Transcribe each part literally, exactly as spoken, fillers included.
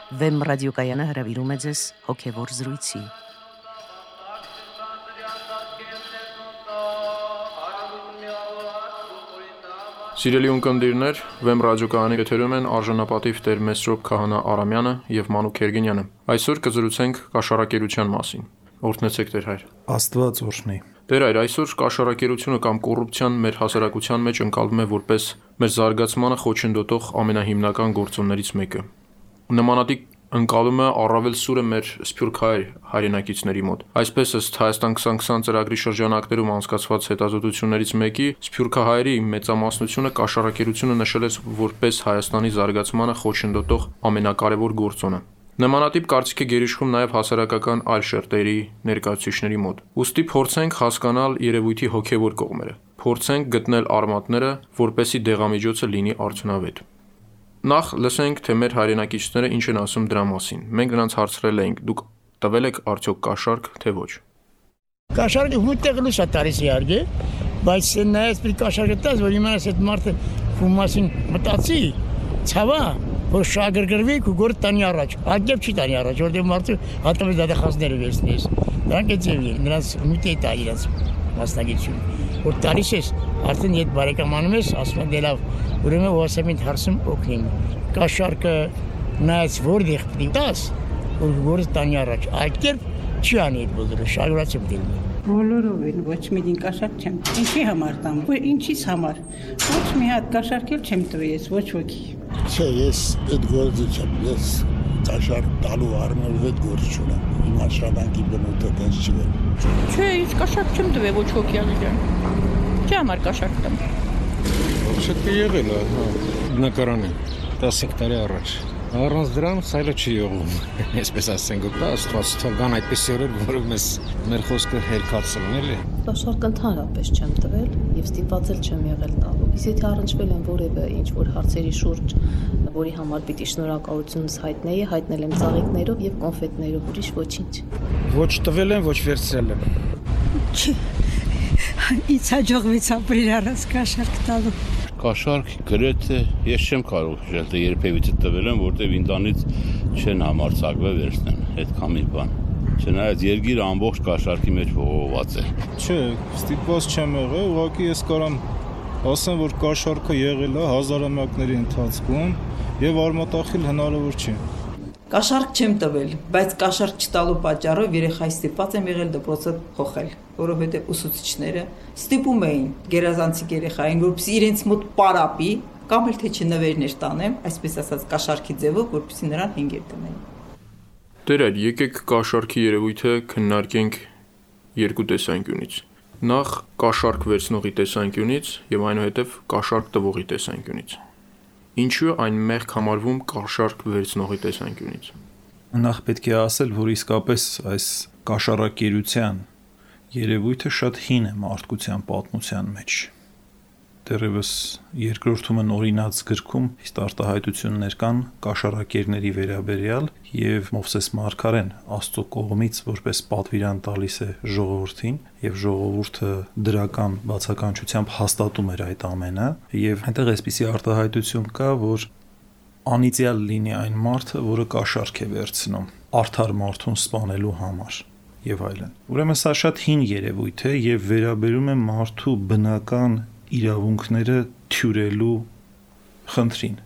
Վեմ ռադիոկայանը հրավիրում է ձեզ հոգևոր զրույցի։ Սիրելի ունկնդիրներ, Վեմ ռադիոկայանի եթերում են արժանապատիվ Տեր Մեսրոպ Քահանա Արամյանը եւ Մանուկ Երգինյանը։ Այսօր կզրուցենք կաշառակերության մասին։ Օրհնեցեք Տեր հայր։ Աստված օրհնի։ Տեր հայր, այսօր կաշառակերությունը կամ կոռուպցիան մեր հասարակության մեջ ընկալվում է որպես մեր զարգացմանը խոչընդոտող ամենահիմնական գործոններից մեկը։ Նմանատիպ ընկալումը առավել սուր է մեր սփյուռք հայ հայրենակիցների մոտ։ Այսպես ըստ Հայաստան twenty twenty ծրագրի շրջանակներում անցկացված հետազոտություններից մեկի, սփյուռքահայերի մեծամասնությունը կաշառակերությունը նշել է որպես Հայաստանի զարգացմանը խոչընդոտող ամենակարևոր գործոնը։ Նմանատիպ կարծիք է գերիշխում նաև հասարակական այլ շերտերի ներկայացուցիչների մոտ։ Ուստի փորձենք հասկանալ երևույթի հոգևոր կողմերը։ Փորձենք գտնել արմատները, որպեսզի դեղամիջոցը լինի արդյունավետ։ Նախ լսենք, թե մեր հայրենակիցները ինչ են ասում դրա մասին։ Մենք նրանց հարցրել էինք. դուք տվել եք արդյոք կաշառք, թե ոչ։ Կաշառքը ուտեղ լույս է տալիս իհարկե, բայց նայած պիտի կաշառքը տաս, որ իմանաս այդ մարդը ու մասին մտածի, ցավա, որ շագրգռվի ու գործ տանի առաջ։ Ակեպ չի տանի առաջ, որտեղ մարդը հատկապես դատախազները վերցնես։ Դրանք այդ ձևի են, նրանց միտի տա իրաց մասնագիտությունը։ Որ տալիս ես, արդեն եթե բարեկամանում ես, ասում են դե լավ, ուրեմն ոսեմին հարցում օգնիմ։ Կաշառքը նայած որտեղ պիտի տաս, որ գործ տանի առաջ։ Ակեպ չի անի այդ բոլորը, շագրացիա պիտի լինի։ Բոլորով են, ոչ մի կաշառք չեմ։ Ինչի համար տամ, որ ինչից համար։ Ոչ մի հատ կաշառք էլ չեմ տվել ես, ոչ ոքի։ Չէ, ես այդ գործը չեմ, ես կաշառք տալու առումով այդ գործ չունեմ։ Իմ աշխատանքի բնույթը տենց չի վեր։ Չէ, ես կաշառք չեմ տվել ոչ ոքի ալիջան։ Չի համար կաշառք տամ։ Вообще-то եղել է, հա, բնակարանը տասը տարի առաջ։ Առանց դրան սայլը չի եղում, այսպես ասենք, դա աստված թողան այդպիսի օրեր, որով մեզ մեր խոսքը հերքացրին, էլի։ Կաշառք ընդհանրապես չեմ տվել եւ ստիպված էլ չեմ եղել տալու։ Իսկ եթե առնչվել եմ որևէ ինչ-որ հարցերի շուրջ, որի համար պիտի շնորհակալությունս հայտնեի, հայտնել եմ ծաղիկներով եւ կոնֆետներով, ուրիշ ոչինչ։ Ոչ տվել եմ, ոչ վերցրել եմ։ Չի։ Ինչ հաջողվեց ապրել առանց կաշառք տալու։ Կաշառք գրեթե ես չեմ կարող հիշել, թե երբևիցե տվել եմ, որտեղ ինտանից չեն համարձակվել վերցնեն, այդքան մի բան։ Չնայած երկիրը ամբողջ կաշառքի մեջ ողողված է։ Չէ, ստիպված չեմ եղել, ուղղակի ես կարամ ասեմ, որ կաշառքը եղել է հազարամյակների ընթացքում եւ արմատախիլ հնարավոր չի։ Կաշառք չեմ տվել, բայց կաշառք չտալու պատճառով երեխայի ստիպված եմ եղել դպրոցը փոխել, որովհետև ուսուցիչները ստիպում էին գերազանցիկ երեխային, որպեսզի իրենց մոտ պարապի, կամ էլ թե չնվերներ տանեմ, այսպես ասած կաշառքի ձևով, որպեսզի նրան հենգեր տնեն։ Տեր այլ, եկեք կաշառքի երևույթը քննարկենք երկու տեսանկյունից։ Նախ կաշառք վերցնողի տեսանկյունից եւ այնուհետեւ կաշառք տվողի տեսանկյունից։ Ինչու այն մեղք համարվում կաշառք վերցնողի տեսանկյունից։ Նախ պետք է ասել, որ իսկապես այս կաշառակերության երևույթը շատ հին է մարդկության պատմության մեջ։ Դեռևս երկրորդում օրինաց գրքում իսկ արտահայտություններ կան կաշառակերների վերաբերյալ եւ Մովսես Մարգարեն Աստծո կողմից որպես պատվիրան տալիս է ժողովրդին եւ ժողովուրդը դրական բացականչությամբ հաստատում էր այդ ամենը եւ այնտեղ այսպիսի արտահայտություն կա, որ անիծյալ լինի այն մարդը, որը կաշառք է վերցնում արդար մարդուն սպանելու համար եւ այլն։ Ուրեմն սա շատ հին երևույթ է եւ վերաբերում է մարդու բնական իրավունքները թյուրելու խնդրին։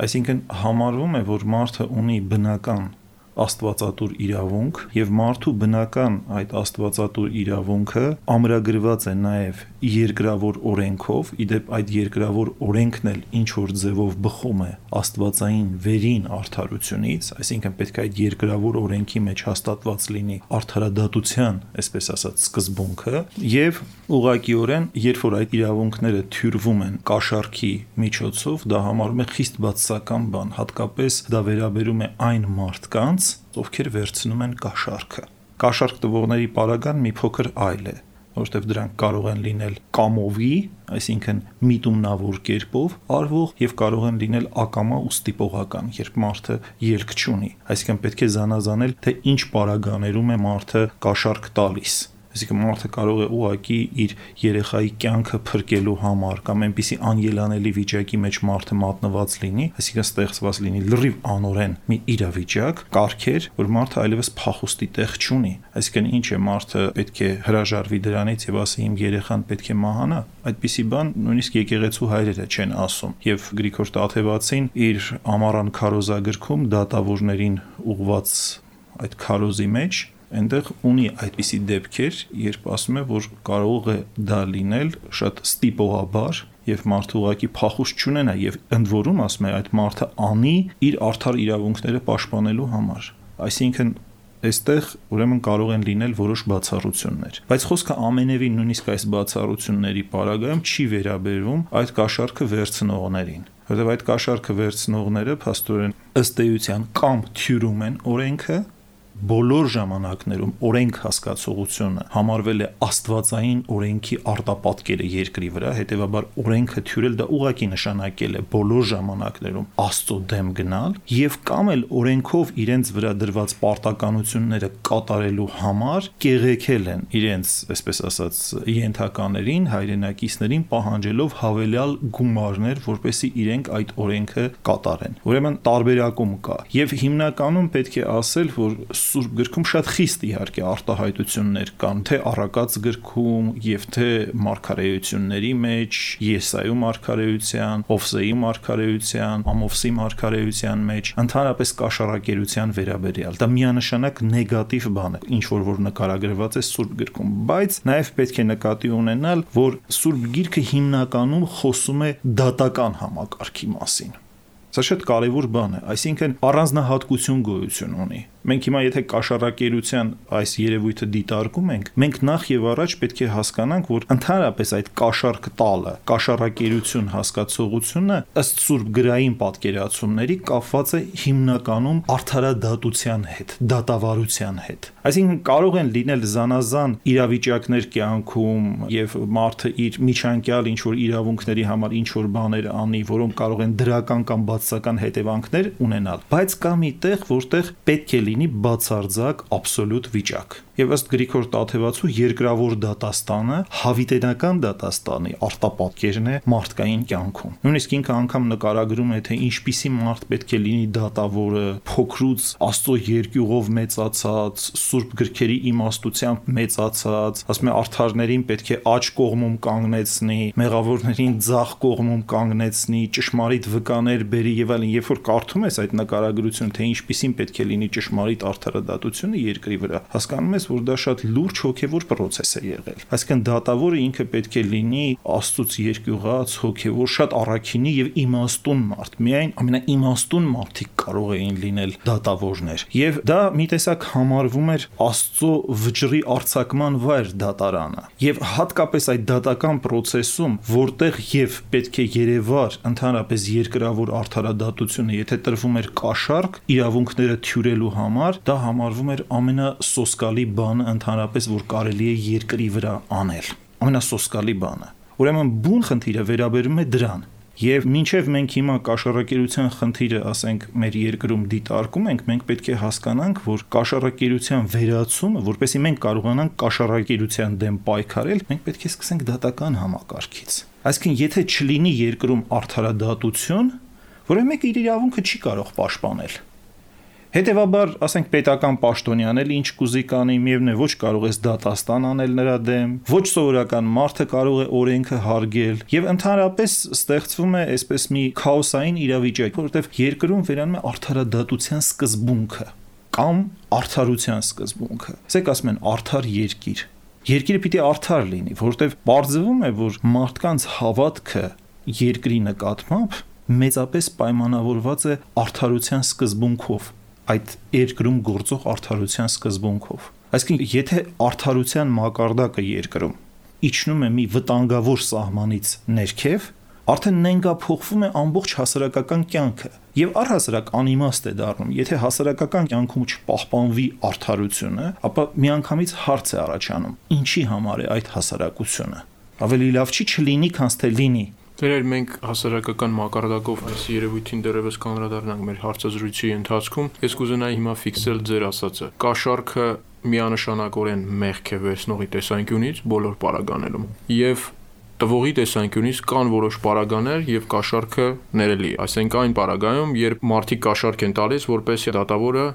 Այսինքն համարվում է, որ մարդը ունի բնական աստվածատուր իրավունք եւ մարդու բնական այդ աստվածատուր իրավունքը ամրագրված է նաեւ երկրավոր օրենքով, իդեպ այդ երկրավոր օրենքն էլ ինչ որ ձևով բխում է աստվածային վերին արդարությունից, այսինքն պետք է այդ երկրավոր օրենքի մեջ հաստատված լինի արդարադատության, այսպես ասած, սկզբունքը եւ ուղղակիորեն, երբ որ այդ իրավունքները թյուրվում են կաշառքի միջոցով, դա համարվում է խիստ բացասական բան, հատկապես դա վերաբերում է այն մարդկանց, ովքեր վերցնում են կաշառքը։ Կաշառք տվողների պարագան մի փոքր այլ է, որովհետև դրանք կարող են լինել կամովի, այսինքն միտումնավոր կերպով արվող եւ կարող են լինել ակամա ու ստիպողական, երբ մարդը ելք չունի։ Այսինքն պետք է զանազանել, թե ինչ պարագաներում է մարդը կաշառք տալիս։ Այսինքն մարդը կարող է ուղղակի իր երեխայի կյանքը փրկելու համար կամ այնպիսի անելանելի վիճակի մեջ մարդը մատնված լինի, այսինքն ստեղծված լինի լրիվ անօրեն մի իրավիճակ, կարգեր, որ մարդը այլևս փախուստի տեղ չունի։ Այսինքն ինչ է, մարդը պետք է հրաժարվի դրանից եւ ասի իմ երեխան պետք է մահանա։ Այդպիսի բան նույնիսկ եկեղեցու հայրերը չեն ասում։ Եվ Գրիգոր Տաթևացին իր Ամառան քարոզագրքում դատավորներին ուղված այդ քարոզի մեջ այնտեղ ունի այդպիսի դեպքեր, երբ ասում է, որ կարող է դա լինել շատ ստիպողաբար եւ մարդը ուղղակի փախուստ չունենա եւ ընդ որում ասում է այդ մարդը անի իր արդար իրավունքները պաշտպանելու համար։ Այսինքն այստեղ ուրեմն կարող են լինել որոշ բացառություններ, բայց խոսքը ամենևին նույնիսկ այս բացառությունների պարագայում չի վերաբերվում այդ կաշառքը վերցնողներին, որովհետեւ այդ կաշառքը վերցնողները փաստորեն ըստ էության կամ թյուրում են օրենքը, բոլոր ժամանակներում օրենք հասկացողությունը համարվել է աստվածային օրենքի արտապատկերը երկրի վրա, հետևաբար օրենքը թյուրել դա ուղղակի նշանակել է բոլոր ժամանակներում Աստծո դեմ գնալ եւ կամ էլ օրենքով իրենց վրա դրված պարտականությունները կատարելու համար կեղեքել են իրենց, այսպես ասած, ենթականերին, հայրենակիցներին պահանջելով հավելյալ գումարներ, որպեսզի իրենք այդ օրենքը կատարեն։ Ուրեմն տարբերակում կա եւ հիմնականում պետք է ասել, որ Սուրբ գրքում շատ խիստ իհարկե արտահայտություններ կան, թե առակաց գրքում եւ թե մարգարեությունների մեջ, Եսայու մարգարեության, Հովսեի մարգարեության, Ամովսի մարգարեության մեջ, ընդհանրապես կաշառակերության վերաբերյալ։ Դա միանշանակ նեգատիվ բան է, ինչ որ որ նկարագրված է Սուրբ գրքում, բայց նաեւ պետք է նկատի ունենալ, որ Սուրբ գիրքը հիմնականում խոսում է դատական համակարգի մասին։ Սա շատ կարևոր բան է, այսինքն առանձնահատկություն գոյություն ունի։ Մենք հիմա եթե կաշառակերության այս երևույթը դիտարկում ենք, մենք նախ եւ առաջ պետք է հասկանանք, որ ընդհանրապես այդ կաշառք տալը, կաշառակերություն հասկացողությունը ըստ Սուրբ գրային պատկերացումների կապված է հիմնականում արդարադատության հետ, դատավարության հետ։ Այսինքն կարող են լինել զանազան իրավիճակներ կյանքում եւ մարդը իր միջանկյալ ինչ որ իրավունքների համար ինչ որ բաներ անի, որոնք կարող են դրական կամ բացասական հետևանքներ ունենալ, բայց կա մի տեղ, որտեղ պետք է լինի բացարձակ աբսոլյուտ վիճակ։ Եվ ըստ Գրիգոր Տաթևացու երկրավոր դատաստանը հավիտենական դատաստանի արտապատկերն է մարդկային կյանքում։ Նույնիսկ ինքը անգամ նկարագրում է, թե ինչպիսի մարդ պետք է լինի դատավորը, փոքրուց Աստծո երկյուղով մեծացած, Սուրբ գրքերի իմաստությամբ մեծացած, ասում է արդարներին պետք է աջ կողմում կանգնեցնի, մեղավորներին ձախ կողմում կանգնեցնի, ճշմարիտ վկաներ բերի եւ այլն։ Երբ որ կարդում ես այդ նկարագրությունը, թե ինչպիսին պետք է լինի ճշմարիտ արդարադատությունը երկրի վրա, հասկանում ես, որ դա շատ լուրջ հոգևոր process է եղել։ Այսինքն դատավորը ինքը պետք է լինի Աստծուց երկյուղած, հոգևոր, շատ առաքինի եւ իմաստուն մարդ։ Միայն ամենաիմաստուն մարդիկ կարող էին լինել դատավորներ։ Եվ դա մի տեսակ համարվում էր Աստծո վճռի արձակման վայր դատարանը։ Եվ հատկապես այդ դատական process-ում, որտեղ եւ պետք է երևար ընդհանրապես երկրավոր արդարադատությունը, եթե տրվում էր կաշառք իրավունքները թյուրելու համար, դա համարվում էր ամենասոսկալի բանը ընդհանրապես, որ կարելի է երկրի վրա անել, ամենասոսկալի բանը։ Ուրեմն բուն խնդիրը վերաբերում է դրան։ Եվ մինչև մենք հիմա կաշառակերության խնդիրը, ասենք, մեր երկրում դիտարկում ենք, մենք պետք է հասկանանք, որ կաշառակերության վերացումը, որպեսզի մենք կարողանանք կաշառակերության դեմ պայքարել, մենք պետք է սկսենք դատական համակարգից։ Այսինքն, եթե չլինի երկրում արդարադատություն, որը մեկ իր իրավունքը չի կարող պաշտպանել։ Հետևաբար, ասենք, պետական պաշտոնյան էլ ինչ կուզի կանի, միևնույն է ոչ կարող ես դատաստան անել նրա դեմ, ոչ սովորական մարդը կարող է օրենքը հարգել, եւ ընդհանրապես ստեղծվում է այսպես մի քաոսային իրավիճակ, որովհետեւ երկրում վերանում է արդարադատության սկզբունքը կամ արդարության սկզբունքը։ Ասեք ասում են արդար երկիր։ Երկիրը պիտի արդար լինի, որովհետեւ բարձվում է, որ մարդկանց հավատքը երկրի նկատմամբ մեծապես պայմանավորված է արդարության սկզբունքով, այդ երկրում գործող արդարության սկզբունքով։ Այսինքն, եթե արդարության մակարդակը երկրում իջնում է մի վտանգավոր սահմանից ներքև, արդեն նենգափոխվում է ամբողջ հասարակական կյանքը եւ առհասարակ անիմաստ է դառնում։ Եթե հասարակական կյանքում չպահպանվի արդարությունը, ապա միանգամից հարց է առաջանում. ինչի համար է այդ հասարակությունը։ Ավելի լավ չի չլինի, քան թե լինի։ Դերեր մենք հասարակական մակարդակով այս երևույթին դեռևս կանդրադառնանք մեր հարցազրույցի ընթացքում։ Ես կուզենայի հիմա ֆիքսել ձեր ասածը։ Կաշառքը միանշանակորեն մեղք է վերցնողի տեսանկյունից բոլոր պարագաներում եւ տվողի տեսանկյունից կան որոշ պարագաներ եւ կաշառքը ներելի է, այսինքն այն պարագայում, երբ մարդիկ կաշառք են տալիս, որպեսզի դատավորը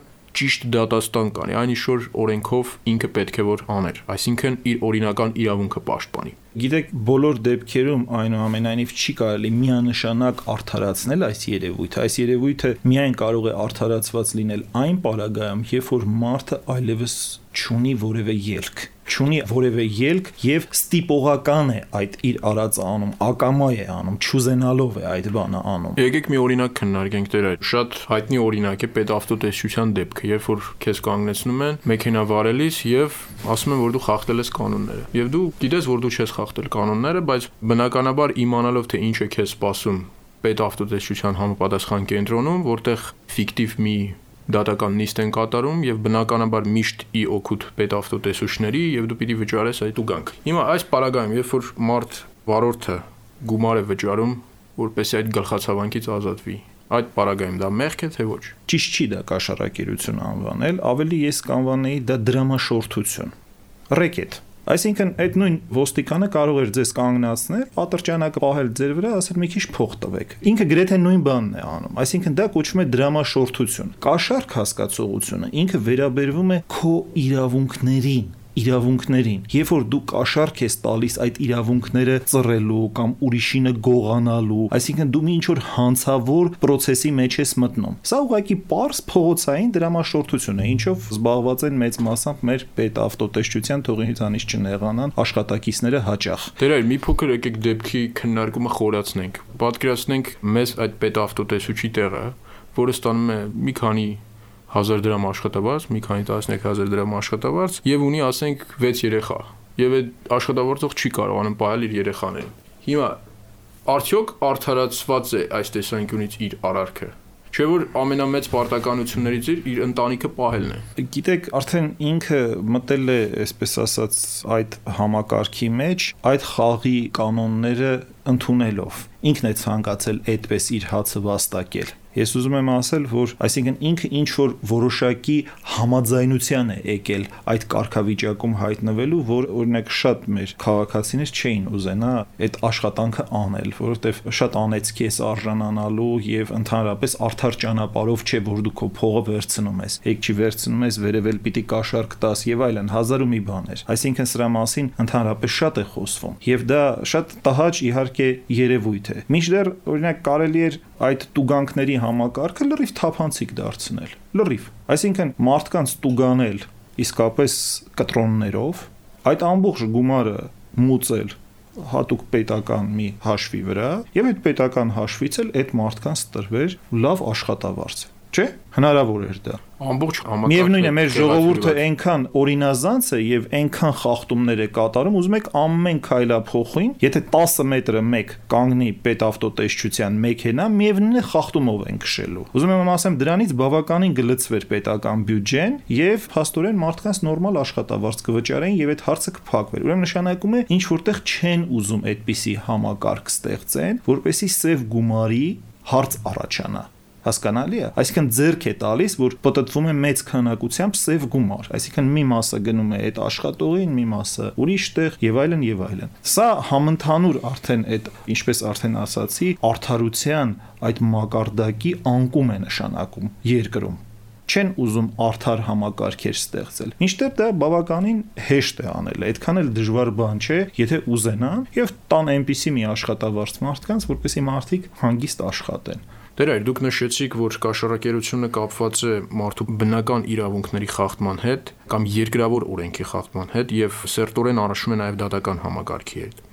ճիշտ դատաստան կանի, այն ինչ որ օրենքով ինքը պետք է որ աներ, այսինքն իր օրինական իրավունքը պաշտպանի։ Գիտեք, բոլոր դեպքերում այնուամենայնիվ չի կարելի միանշանակ արդարացնել այս երևույթը։ Այս երևույթը միայն կարող է արդարացված լինել այն պարագայում, երբ որ մարդը այլևս չունի որևէ ելք, չունի որևէ ելք եւ ստիպողական է այդ իր արածը անում, ակամա է անում, չուզենալով է այդ բանը անում։ Եկեք մի օրինակ քննարկենք դեր այդ։ Շատ հայտնի օրինակ է պետավտոտեսչության դեպքը, երբ որ քեզ կանգնեցնում են մեքենա վարելիս եւ ասում են, որ դու խախտել ես կանոնները։ Եվ դու գիտես, որ դու չես խախտել կանոնները, բայց բնականաբար իմանալով թե ինչ է քեզ սպասում պետավտոտեսչության համապատասխան կենտրոնում, որտեղ ֆիկտիվ մի դատական նիստ են կատարում եւ բնականաբար միշտ ի օգուտ պետավտոտեսուչների եւ դու պիտի վճարես այդ ուգանք։ Հիմա այս պարագայում, երբ որ մարդ վարորդը գումար է վճարում, որպեսզի այդ գլխացավանքից ազատվի, այդ պարագայում դա մեղք է թե ոչ։ Ճիշտ չի դա կաշառակերություն անվանել, ավելի ես կանվանեի դա դրամաշորթություն։ Ռեկետ։ Այսինքն այդ նույն ոստիկանը կարող էր ձեզ կանգնացնել, ատրճանակը պահել ձեր վրա, ասել մի քիչ փող տվեք։ Ինքը գրեթե նույն բանն է անում։ Այսինքն դա կոչվում է դրամաշորթություն։ Կաշառք հասկացողությունը ինքը վերաբերվում է քո իրավունքներին, իրավունքներին։ Երբ որ դու կաշառք ես տալիս այդ իրավունքները ծռելու կամ ուրիշինը գողանալու, այսինքն դու մի ինչ-որ հանցավոր process-ի մեջ ես մտնում։ Սա ուղղակի պարզ փողոցային դրամաշորթություն է, ինչով զբաղված են մեծ մասամբ մեր պետավտոտեսչության թողին հանից չնեղանան աշխատակիցները հաճախ։ Դեր այլ մի փոքր եկեք դեպքի քննարկումը խորացնենք։ Պատկերացնենք մեզ այդ պետավտոտեսուչի տեղը, որը ստանում է մի քանի հազար դրամ աշխատավարձ, մի քանի տասնյակ հազար դրամ աշխատավարձ եւ ունի, ասենք, վեց երեխա։ Եվ այդ աշխատավորող չի կարողանում պահել իր երեխաներին։ Հիմա արդյոք արդարացված է այս տեսանկյունից իր արարքը։ Չէ՞ որ ամենամեծ պարտականություններից իր իր ընտանիքը պահելն է։ Գիտեք, արդեն ինքը մտել է, այսպես ասած, այդ համակարգի մեջ, այդ խաղի կանոնները ընդունելով։ Ինքն է ցանկացել այդպես իր հացը վաստակել։ Ես ուզում եմ ասել, որ այսինքն ինքը ինչ որ որոշակի համաձայնության է եկել այդ կարգավիճակում հայտնվելու, որ օրինակ շատ մեր քաղաքացիներ չէին ուզենա այդ աշխատանքը անել, որովհետև շատ անեծքի է արժանանալու եւ ընդհանրապես արդար ճանապարհով չէ, որ դու քո փողը վերցնում ես, եք չի վերցնում ես, վերևել պիտի կաշառք տաս եւ այլն, հազար ու մի բաներ։ Այսինքն սրա մասին ընդհանրապես շատ է խոսվում եւ դա շատ տհաճ իհարկե երևույթ է։ Մինչդեռ օրինակ կարելի էր այդ տուգանքների համակարգը լրիվ թափանցիկ դարձնել, լրիվ, այսինքն մարդկանց տուգանել իսկապես կտրոններով, այդ ամբողջ գումարը մուծել հատուկ պետական մի հաշվի վրա եւ այդ պետական հաշվից էլ այդ մարդկանց տրվեր լավ աշխատավարձ, չէ՞, հնարավոր էր դա։ Ամբողջ համակարգը։ Միևնույն է, մեր ժողովուրդը այնքան օրինազանց է եւ այնքան խախտումներ է կատարում, ուզում եք ամեն քայլափոխին, եթե տասը մետրը մեկ կանգնի պետավտոտեսչության մեքենա, միևնույն է խախտումով են քշելու։ Ուզում եմ ասեմ, դրանից բավականին գլծվեր պետական բյուջեն եւ փաստորեն մարդկանց նորմալ աշխատավարձ կվճարեին եւ այդ հարցը կփակվեր։ Ուրեմն նշանակում է ինչ որտեղ չեն ուզում այդպիսի համակարգ ստեղծեն, որպեսզի սև գումարի հարց առաջանա։ Հասկանալի է, այսինքն ձեռք է տալիս, որ պատտվում է մեծ քանակությամբ սև գումար, այսինքն մի մասը գնում է այդ աշխատողին, մի մասը ուրիշ տեղ եւ այլն եւ այլն։ Սա համընդհանուր արդեն այդ, ինչպես արդեն ասացի, արդարության այդ մակարդակի անկում է նշանակում երկրում։ Չեն ուզում արդար համակարգեր ստեղծել։ Մինչդեռ դա բավականին հեշտ է անել, այդքան էլ դժվար բան չէ, եթե ուզենան եւ տան այնպիսի մի աշխատավարձ մարդկանց, որպեսզի մարդիկ հանգիստ աշխատեն։ Դեր այլ դուք նշեցիք, որ կաշառակերությունը կապված է մարդու բնական իրավունքների խախտման հետ կամ երկրավոր օրենքի խախտման հետ եւ սերտորեն առնչվում է նաեւ դատական համակարգի հետ։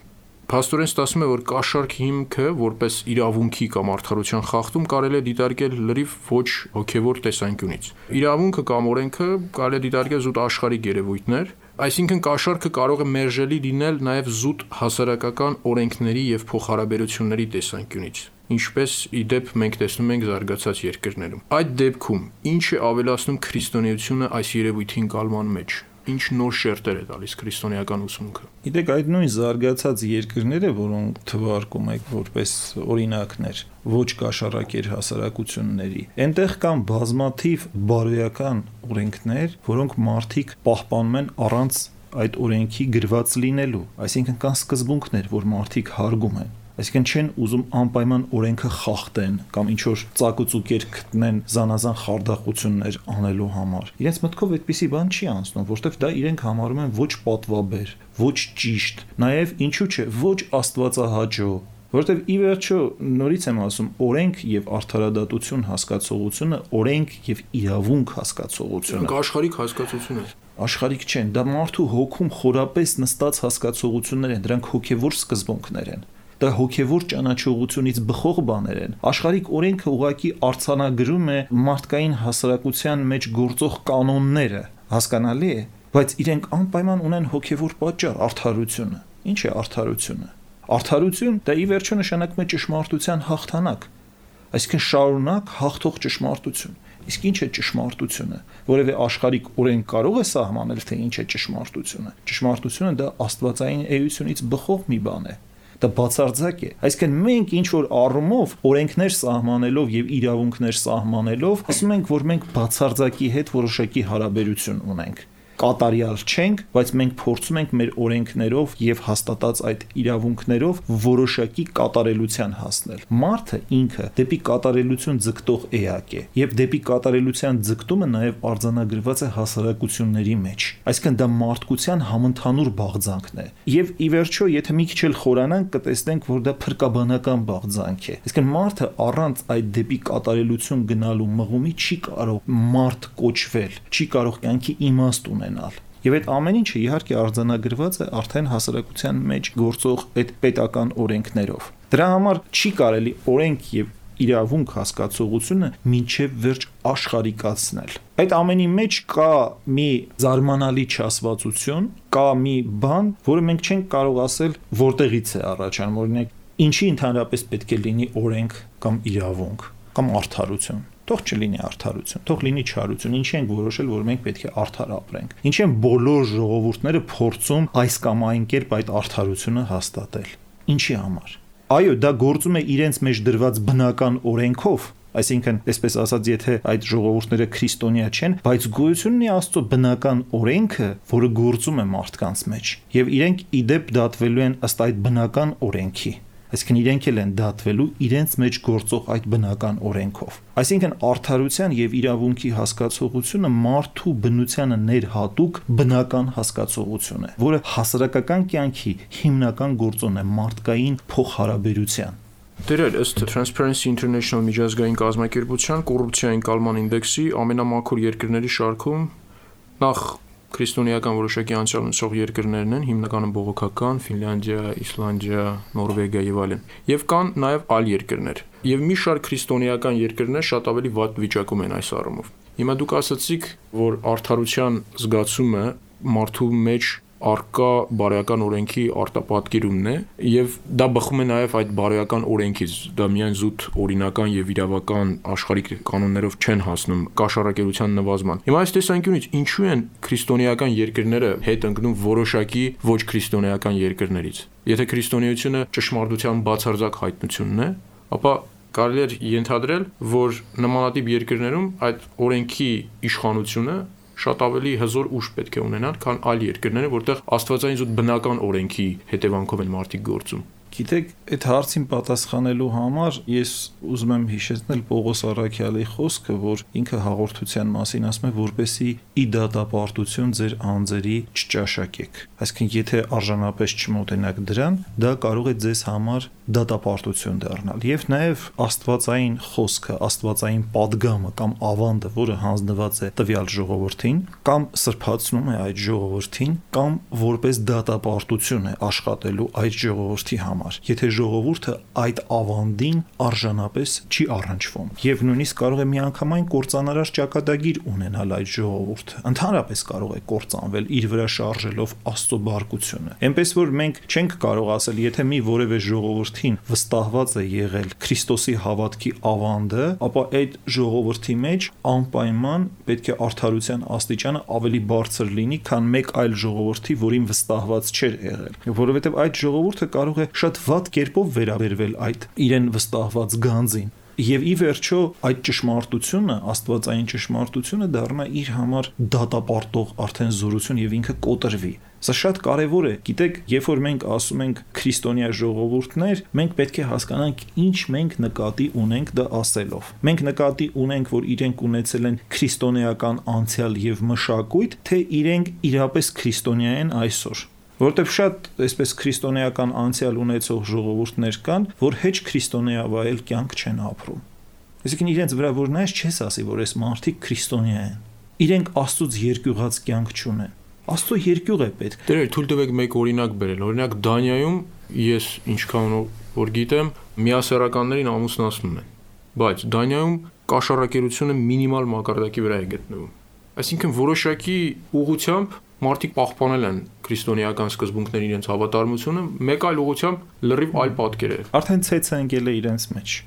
Փաստորեն ստացվում է, որ կաշառք հիմքը որպես իրավունքի կամ արդարության խախտում կարելի է դիտարկել լրիվ ոչ հոգեվոր տեսանկյունից։ Իրավունքը կամ օրենքը կարելի է դիտարկել զուտ աշխարհիկ երևույթներ, այսինքն կաշառքը կարող է մերժելի լինել նաեւ զուտ հասարակական օրենքների եւ փոխհարաբերությունների տեսանկյունից, ինչպես ի դեպ մենք տեսնում ենք զարգացած երկրներում։ Այդ դեպքում ինչ է ավելացնում քրիստոնեությունը այս երևույթին կալման մեջ։ ինչ նոր շերտեր է տալիս քրիստոնեական ուսմունքը։ Գիտեք, այդ նույն զարգացած երկրները, որոնք թվարկում եք որպես օրինակներ, ոչ կաշառակեր հասարակությունների, այնտեղ կան բազմաթիվ բարոյական օրենքներ, որոնք մարդիկ պահպանում են առանց այդ օրենքի գրված լինելու, այսինքն կան սկզբունքներ, որ մարդիկ հարգում են։ Այսինքն չեն ուզում անպայման օրենքը խախտեն կամ ինչ որ ծակուցուկեր գտնեն զանազան խարդախություններ անելու համար։ Իրենց մտքով այդպիսի բան չի անցնում, որովհետև դա իրենք համարում են ոչ պատվաբեր, ոչ ճիշտ, նաև ինչու՞ չէ, ոչ աստվածահաճո, որովհետև ի վերջո նորից եմ ասում, օրենք եւ արդարադատություն հասկացողությունը, օրենք եւ իրավունք հասկացողությունը։ Աշխարհիկ հասկացություն է։ Աշխարհիկ չեն, դա մարդու հոգում խորապես նստած հասկացողություններ են, դրանք հոգեվոր սկզբունքներ են։ Դա հոգևոր ճանաչողությունից բխող բաներ են։ Աշխարհիկ օրենքը ուղղակի արձանագրում է մարդկային հասարակության մեջ գործող կանոնները, հասկանալի է, բայց իրենք անպայման ունեն հոգևոր պատճառ, արդարությունը։ Ինչ է արդարությունը։ Արդարություն դա ի վերջո նշանակում է ճշմարտության հաղթանակ, այսինքն շարունակ հաղթող ճշմարտություն։ Իսկ ինչ է ճշմարտությունը։ Որևէ աշխարհիկ օրենք կարող է սահմանել, թե ինչ է ճշմարտությունը։ Ճշմարտությունը դա աստվածային էությունից բխող մի բան է։ Դա բացարձակ է։ Այսինքն մենք ինչ որ առումով օրենքներ սահմանելով եւ իրավունքներ սահմանելով, ասում ենք, որ մենք բացարձակի հետ որոշակի հարաբերություն ունենք։ Կատարյալ չենք, բայց մենք փորձում ենք մեր օրենքներով եւ հաստատած այդ իրավունքներով որոշակի կատարելության հասնել։ Մարդը ինքը դեպի կատարելություն ձգտող էակ է, եւ դեպի կատարելության ձգտումը նաեւ արձանագրված է հասարակությունների մեջ։ Այսինքն դա մարդկության համընդհանուր բաղձանքն է։ Եվ ի վերջո, եթե մի քիչ էլ խորանանք, կտեսնենք, որ դա փրկաբանական բաղձանք է։ Այսինքն մարդը առանց այդ դեպի կատարելություն գնալու մղումի չի կարող մարդ կոչվել, չի կարող կյանքի իմաստ ունենալ։ Եվ այդ ամեն ինչը իհարկե արձանագրված է արդեն հասարակության մեջ գործող այդ պետական օրենքներով։ Դրա համար չի կարելի օրենք եւ իրավունք հասկացողությունը մինչև վերջ աշխարհիկացնել։ Այդ ամենի մեջ կա մի զարմանալի չասվածություն, կա մի բան, որը մենք չենք կարող ասել որտեղից է առաջանում, օրինակ, ինչի ընդհանրապես պետք է լինի օրենք կամ իրավունք կամ արդարություն։ Թող չլինի արդարություն, թող լինի չարություն, ինչի ենք որոշել, որ մենք պետք է արդար ապրենք։ Ինչի են բոլոր ժողովուրդները փորձում այս կամ այն կերպ այդ արդարությունը հաստատել։ Ինչի համար։ Այո, դա գործում է իրենց մեջ դրված բնական օրենքով, այսինքն, այսպես ասած, եթե այդ ժողովուրդները քրիստոնյա չեն, բայց գոյությունն է Աստծո բնական օրենքը, որը գործում է մարդկանց մեջ, եւ իրենք իդեպ դատվելու են ըստ այդ բնական օրենքի։ Այսինքն իրենք էլ են դատվելու իրենց մեջ գործող այդ բնական օրենքով։ Այսինքն արդարության եւ իրավունքի հասկացողությունը մարդու բնությանը ներհատուկ բնական հասկացողություն է, որը հասարակական կյանքի հիմնական գործոն է մարդկային փոխհարաբերության։ Դերեր ըստ Transparency International միջազգային կազմակերպության կոռուպցիայի ընկալման ինդեքսի ամենամաքուր երկրների շարքում նախ քրիստոնեական որոշակի անցյալ ունեցող երկրներն են, հիմնականում բողոքական, Ֆինլանդիա, Իսլանդիա, Նորվեգիա եւ այլն։ Եվ կան նաեւ այլ երկրներ։ Եվ մի շարք քրիստոնեական երկրներ շատ ավելի վատ վիճակում են այս առումով։ Հիմա դուք ասացիք, որ արդարության զգացումը մարդու մեջ արկա բարոյական օրենքի արտապատկերումն է եւ դա բխում է նաեւ այդ բարոյական օրենքից, դա միայն զուտ օրինական եւ իրավական աշխարհիկ կանոններով չեն հասնում կաշառակերության նվազման։ Հիմա այս տեսանկյունից ինչու են քրիստոնեական երկրները հետ ընկնում որոշակի ոչ քրիստոնեական երկրներից։ Եթե քրիստոնեությունը ճշմարտության բացարձակ հայտնությունն է, ապա կարելի է ենթադրել, որ նմանատիպ երկրներում այդ օրենքի իշխանությունը շատ ավելի հզոր ուժ պետք է ունենան, քան այլ երկրները, որտեղ աստվածային զուտ բնական օրենքի հետևանքով են մարդիկ գործում։ Գիտեք, այդ հարցին պատասխանելու համար ես ուզում եմ հիշեցնել Պողոս Առաքյալի խոսքը, որ ինքը հաղորդության մասին ասում է, որպեսզի ի դատապարտություն ձեր անձերի չճաշակեք։ Այսինքն, եթե արժանապես չմոտենաք դրան, դա կարող է ձեզ համար դատապարտություն դառնալ։ Եվ նաև աստվածային խոսքը, աստվածային падգամը կամ ավանդը, որը հանձնված է տվյալ ժողովրդին, կամ սրբացնում է այդ ժողովրդին, կամ որպես դատապարտություն է աշխատելու այդ ժողովրդի համար։ համար, եթե ժողովուրդը այդ ավանդին արժանապես չի առնչվում։ Եվ նույնիսկ կարող է միանգամայն կործանարար ճակատագիր ունենալ այդ ժողովուրդը։ Ընդհանրապես կարող է կործանվել իր վրա շարժելով Աստծո բարկությունը։ Էնպես որ մենք չենք կարող ասել, եթե մի որևէ ժողովրդին վստահված է եղել Քրիստոսի հավատքի ավանդը, ապա այդ ժողովրդի մեջ անպայման պետք է արդարության աստիճանը ավելի բարձր լինի, քան մեկ այլ ժողովրդի, որին վստահված չէր եղել, որովհետև այդ ժողովուրդը կարող է շատ վատ կերպով վերաբերվել այդ իրեն վստահված գանձին։ Եվ ի վերջո այդ ճշմարտությունը, աստվածային ճշմարտությունը դառնա իր համար դատապարտող արդեն զորություն եւ ինքը կոտրվի։ Սա շատ կարևոր է։ Գիտեք, երբ որ մենք ասում ենք քրիստոնյա ժողովուրդներ, մենք պետք է հասկանանք ինչ մենք նկատի ունենք դա ասելով։ Մենք նկատի ունենք, որ իրենք ունեցել են քրիստոնեական անցյալ եւ մշակույթ, թե իրենք իրապես քրիստոնյա են այսօր։ Որտեւ շատ այսպես քրիստոնեական անցյալ ունեցող ժողովուրդներ կան, որ հեչ քրիստոնեավայել կյանք չեն ապրում։ Այսինքն իրենց վրա որ նայես չես ասի, որ այս մարդիկ քրիստոնյա են։ Իրենք Աստծոց երկյուղած կյանք չունեն։ Աստծո երկյուղ է պետք։ Դեր թույլ տվեք մեկ օրինակ բերել։ Օրինակ Դանիայում ես ինչքան որ գիտեմ, միասեռականներին ամուսնացնում են, բայց Դանիայում կաշառակերությունը մինիմալ մակարդակի վրա է գտնվում։ Այսինքն որոշակի ուղղությամբ մարդիկ պահպանել են քրիստոնեական սկզբունքների իրենց հավատարմությունը, մեկ այլ ուղղությամբ լրիվ այլ պատկեր է։ Արդեն ցեցը ընկել է իրենց մեջ։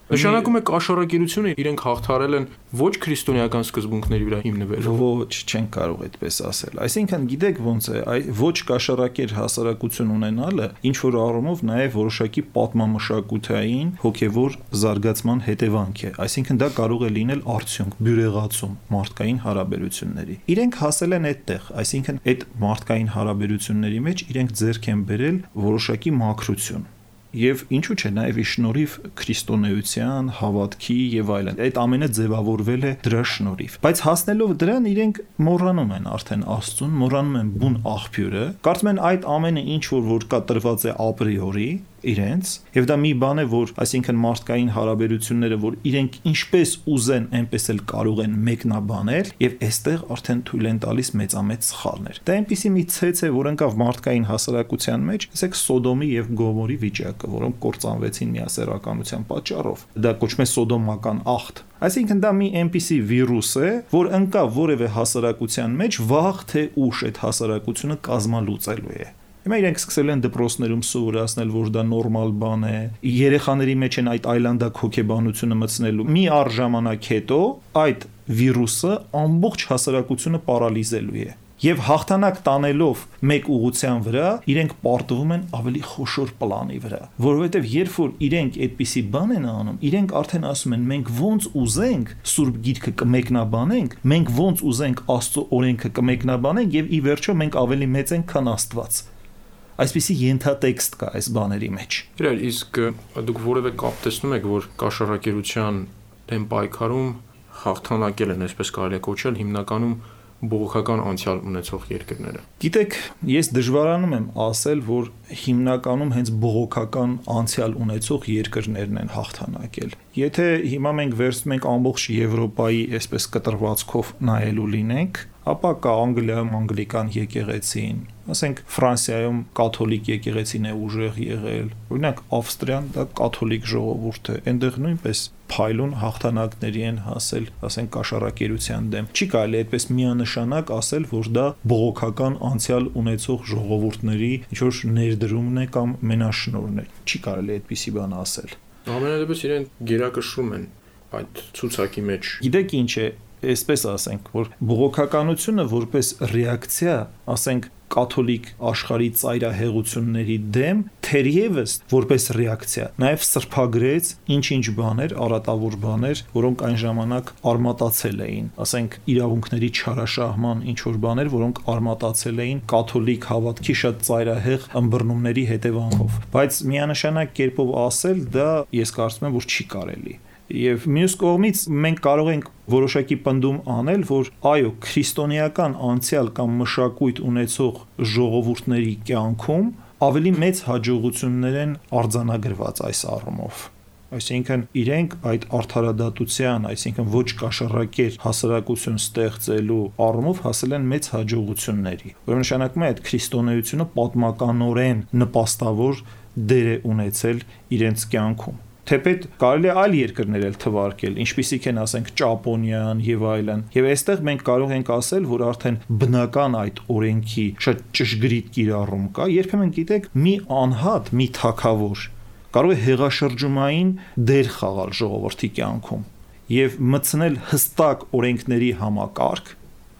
Նշանակում է կաշառակերությունը իրենք հաղթարել են ոչ քրիստոնեական սկզբունքների վրա հիմնվելով։ Ոչ, չեն կարող այդպես ասել։ Այսինքն գիտեք ոնց է, այ ոչ կաշառակեր հասարակություն ունենալը ինչ որ առումով նաև որոշակի պատմամշակութային հոգևոր զարգացման հետևանք է։ Այսինքն դա կարող է լինել արդյունք, բյուրեղացում մարդկային հարաբերությունների։ Իրենք հասել են այդտեղ, այսինքն այդ մարդկային հարաբերությունների մեջ իրենք ձեռք են բերել որոշակի մաքրություն։ Եվ ինչու՞ չէ, նաև ի շնորհիվ քրիստոնեության, հավատքի եւ այլն։ Այդ ամենը ձևավորվել է դրա շնորհիվ։ Բայց հասնելով դրան իրենք մոռանում են արդեն Աստծուն, մոռանում են բուն աղբյուրը, կարծում են այդ ամենը ինչ որ որ կա տրված է ապրիորի իրենց, եւ դա մի բան է, որ այսինքն մարդկային հարաբերությունները, որ իրենք ինչպես ուզեն, այնպես էլ կարող են մեկնաբանել, եւ այստեղ արդեն թույլ են տալիս մեծամեծ սխալներ։ Դա այնպիսի մի ցեց է, որ ընկավ մարդկային հասարակության մեջ, ասեք Սոդոմի եւ Գոմորի վիճակը, որոնք կործանվեցին միասեռականության պատճառով։ Դա կոչվում է սոդոմական աղթ։ Այսինքն դա մի այնպիսի վիրուս է, որ ընկավ որևէ հասարակության մեջ, վաղ թե ուշ այդ հասարակությունը կազմալուծելու է։ Հիմա իրենք սկսել են դպրոցներում սովորացնել, որ դա նորմալ բան է, երեխաների մեջ են այդ այլանդակ հոգեբանությունը մտցնելու։ Մի առ ժամանակ հետո այդ վիրուսը ամբողջ հասարակությունը պարալիզելու է։ Եվ հաղթանակ տանելով մեկ ուղղության վրա, իրենք պարտվում են ավելի խոշոր պլանի վրա, որովհետև երբ որ իրենք այդպիսի բան են անում, իրենք արդեն ասում են մենք ոնց ուզենք Սուրբ Գիրքը կմեկնաբանենք, մենք ոնց ուզենք Աստծո օրենքը կմեկնաբանենք եւ ի վերջո մենք ավելի մեծ ենք, քան Աստված։ Այսպիսի ենթատեքստ կա այս բաների մեջ։ Իրար, իսկ դուք որևէ կապ տեսնում եք, որ կաշառակերության դեմ պայքարում հաղթանակել են, այսպես կարելի է կոչել, հիմնականում բողոքական անցյալ ունեցող երկրները։ Գիտեք, ես դժվարանում եմ ասել, որ հիմնականում հենց բողոքական անցյալ ունեցող երկրներն են հաղթանակել։ Եթե հիմա մենք վերցնում ենք ամբողջ Եվրոպայի այսպես կտրվածքով նայելու լինենք, ապա կա Անգլիայում անգլիկան եկեղեցին, ասենք Ֆրանսիայում կաթոլիկ եկեղեցին է ուժեղ եղել, օրինակ Ավստրիան դա կաթոլիկ ժողովուրդ է, այնտեղ նույնպես փայլուն հաղթանակների են հասել, ասենք կաշառակերության դեմ։ Չի կարելի այդպես միանշանակ ասել, որ դա բողոքական անցյալ ունեցող ժողովուրդների ինչ որ ներդրումն է կամ մենաշնորհն է։ Չի կարելի այդպիսի բան ասել։ Ամենադեպս իրեն գերակշռում են այդ ցուցակի մեջ։ Գիտեք ինչ է, այսպես ասենք, որ բողոքականությունը որպես ռեակցիա, ասենք կաթոլիկ աշխարհի ծայրահեղությունների դեմ, թերևս որպես ռեակցիա, նաև սրբագրեց ինչ-ինչ բաներ, արատավոր բաներ, որոնք այն ժամանակ արմատացել էին, ասենք իրավունքների չարաշահման ինչ-որ բաներ, որոնք արմատացել էին կաթոլիկ հավատքի շատ ծայրահեղ ըմբռնումների հետևանքով։ Բայց միանշանակ կերպով ասել, դա ես կարծում եմ, որ չի կարելի։ Եվ մյուս կողմից մենք կարող ենք որոշակի պնդում անել, որ այո, քրիստոնեական անցյալ կամ մշակույթ ունեցող ժողովուրդների կյանքում ավելի մեծ հաջողություններ են արձանագրված այս առումով։ Այսինքն իրենք այդ արդարադատության, այսինքն ոչ կաշառակեր հասարակություն ստեղծելու առումով հասել են մեծ հաջողությունների։ Որը նշանակում է այդ քրիստոնեությունը պատմականորեն նպաստավոր դեր է ունեցել իրենց կյանքում։ Թեպետ կարելի է այլ երկրներ էլ թվարկել, ինչպիսիք են ասենք Ճապոնիան եւ այլն։ Եվ այստեղ մենք կարող ենք ասել, որ արդեն բնական այդ օրենքի շատ ճշգրիտ կիրառում կա, երբեմն գիտեք, մի անհատ, մի թագավոր կարող է հեղաշրջումային դեր խաղալ ժողովրդի կյանքում եւ մտցնել հստակ օրենքների համակարգ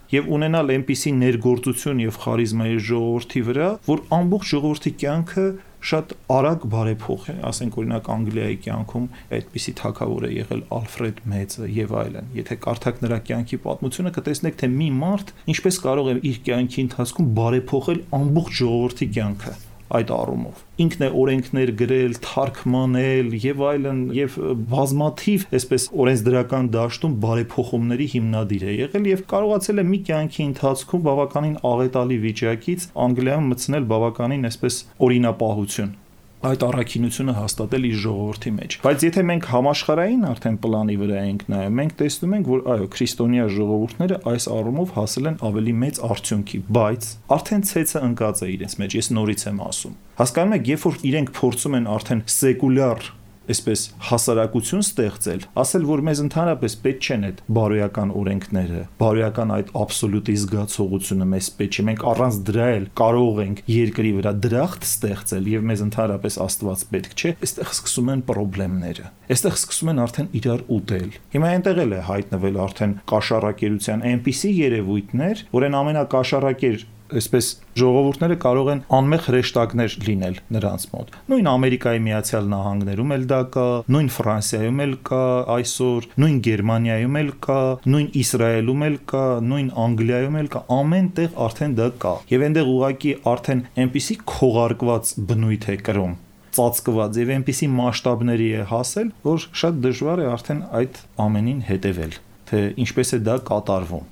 եւ ունենալ այնպիսի ներգործություն եւ խարիզմա իր ժողովրդի վրա, որ ամբողջ ժողովրդի կյանքը շատ արագ բարեփոխ է, ասենք օրինակ Անգլիայի կյանքում այդպիսի թագավոր է եղել Ալֆրեդ Մեծը եւ այլն։ Եթե կարդաք նրա կյանքի պատմությունը, կտեսնեք, թե մի մարդ ինչպես կարող է իր կյանքի ընթացքում բարեփոխել ամբողջ ժողովրդի կյանքը այդ առումով։ Ինքն է օրենքներ գրել, թարգմանել եւ այլն եւ բազմաթիվ այսպես օրենսդրական դաշտում բարեփոխումների հիմնադիր է եղել եւ կարողացել է մի կյանքի ընթացքում բավականին աղետալի վիճակից Անգլիայում մտցնել բավականին այսպես օրինապահություն, այդ առաքինությունը հաստատել իր ժողովրդի մեջ։ Բայց եթե մենք համաշխարհային արդեն պլանի վրա ենք նայում, մենք տեսնում ենք, որ այո, քրիստոնյա ժողովուրդները այս առումով հասել են ավելի մեծ արդյունքի, բայց արդեն ցեցը ընկած է իրենց մեջ, ես նորից եմ ասում։ Հասկանում եք, երբ որ իրենք փորձում են արդեն սեկուլյար այսպես հասարակություն ստեղծել, ասել, որ մեզ ընդհանրապես պետք չեն այդ բարոյական օրենքները, բարոյական այդ աբսոլյուտի զգացողությունը մեզ պետք չէ, մենք առանց դրա էլ կարող ենք երկրի վրա դրախտ ստեղծել եւ մեզ ընդհանրապես Աստված պետք չէ, այստեղ սկսում են խնդիրները, այստեղ սկսում են արդեն իրար ուտել։ Հիմա այնտեղ էլ է հայտնվել արդեն կաշառակերության այնպիսի երևույթներ, որ այն ամենակաշառակեր այսպես ժողովուրդները կարող են անմեղ հրեշտակներ լինել նրանց մոտ։ Նույն Ամերիկայի Միացյալ Նահանգներում էլ դա կա, նույն Ֆրանսիայում էլ կա այսօր, նույն Գերմանիայում էլ կա, նույն Իսրայելում էլ կա, նույն Անգլիայում էլ կա, ամեն տեղ արդեն դա կա։ Եվ այնտեղ ուղղակի արդեն այնպիսի քողարկված բնույթ է կրում, ծածկված եւ այնպիսի մասշտաբների է հասել, որ շատ դժվար է արդեն այդ ամենին հետևել, թե ինչպես է դա կատարվում։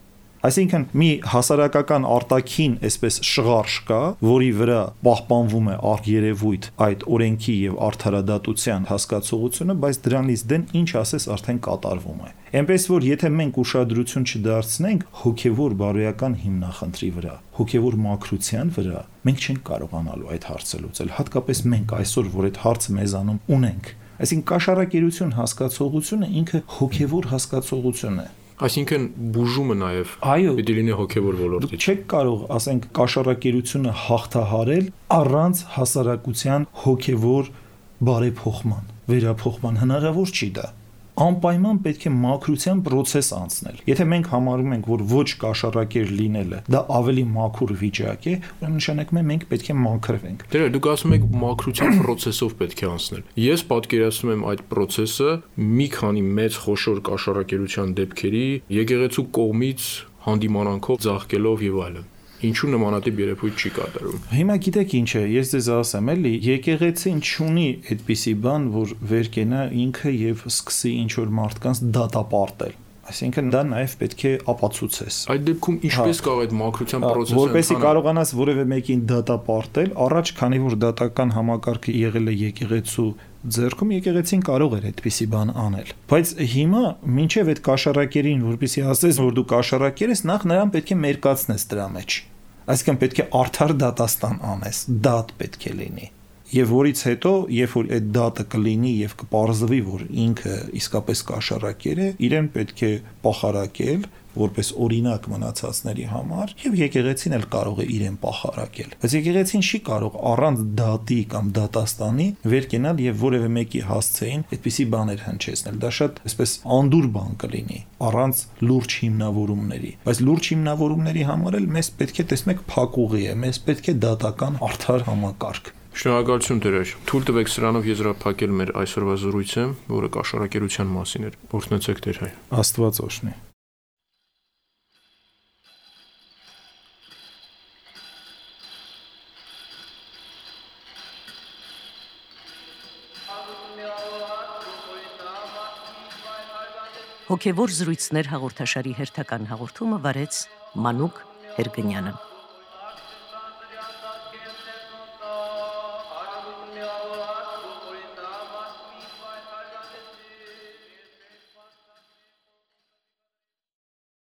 Այսինքն մի հասարակական արտաքին այսպես շղարշ կա, որի վրա պահպանվում է արգերևույթ այդ օրենքի եւ արդարադատության հասկացողությունը, բայց դրանից դեն ինչ ասես արդեն կատարվում է։ Այնպես որ եթե մենք ուշադրություն չդարձնենք հոգեվոր բարոյական հիմնախնդրի վրա, հոգեվոր մաքրության վրա, մենք չենք կարողանալու այդ հարցը լուծել, հատկապես մենք այսօր, որ այդ հարցը մեզանում ունենք։ Այսինքն կաշառակերություն հասկացողությունը ինքը հոգեվոր հասկացողություն է։ Այսինքն բուժումը նաև պիտի լինի հոգևոր ոլորտից։ Չեք կարող, ասենք, կաշառակերությունը հաղթահարել առանց հասարակության հոգևոր բարեփոխման, վերափոխման, հնարավոր չի դա։ Անպայման պետք է մաքրության process անցնել։ Եթե մենք համարում ենք, որ ոչ կաշառակեր լինելը դա ավելի մաքուր վիճակ է, ուրեմն նշանակում է մենք պետք է մաքրվենք։ Դե դուք ասում եք մաքրության process-ով պետք է անցնել։ Ես պատկերացնում եմ այդ process-ը մի քանի մեծ խոշոր կաշառակերության դեպքերի եկեղեցու կողմից հանդիմանանքով ձաղկելով եւ այլն։ Ինչու նմանատիպ երևույթ չի կատարում։ Հիմա գիտեք ինչ է, ես ձեզ ասեմ, էլի, եկեղեցին չունի այդպիսի բան, որ վեր կենա ինքը եւ սկսի ինչ որ մարդկանց դատապարտել։ Այսինքն դա նաև պետք է ապացուցես։ Այդ դեպքում ինչպես կարող այդ մաքրության process-ը որպեսզի կարողանաս որևէ մեկին դատապարտել, առաջ քանի որ դատական համակարգը եղել է եկեղեցու ձեռքում, եկեղեցին կարող էր այդպիսի բան անել։ Բայց հիմա մինչև այդ կաշառակերին, որպեսզի ասես, որ դու կաշառակեր ես, նախ նրան պետք է մերկացնես դրա մեջ։ Այսինքն պետք է արդար դատաստան անես, դատ պետք է լինի։ Եվ որից հետո, երբ որ այդ դատը կլինի եւ կպարզվի, որ ինքը իսկապես կաշառակեր է, իրեն պետք է պախարակել որպես օրինակ մնացածների համար եւ եկեղեցին էլ կարող է իրեն պախարակել։ Բայց եկեղեցին չի կարող առանց դատի կամ դատաստանի վեր կենալ եւ որևէ մեկի հասցեին այդպիսի բաներ հնչեցնել։ Դա շատ այսպես անդուր բան կլինի առանց լուրջ հիմնավորումների։ Բայց լուրջ հիմնավորումների համար էլ մեզ պետք է տեսնեք փակուղի է, մեզ պետք է դատական արդար համակարգ։ Շնորհակալություն Տեր։ Թույլ տվեք սրանով եզրափակել մեր այսօրվա զրույցը, որը կաշառակերության մասին էր։ Օրհնեցեք Տեր հայ։ Աստված օրհնի։ Հոգևոր զրույցներ հաղորդաշարի հերթական հաղորդումը վարեց Մանուկ Հերգնյանը։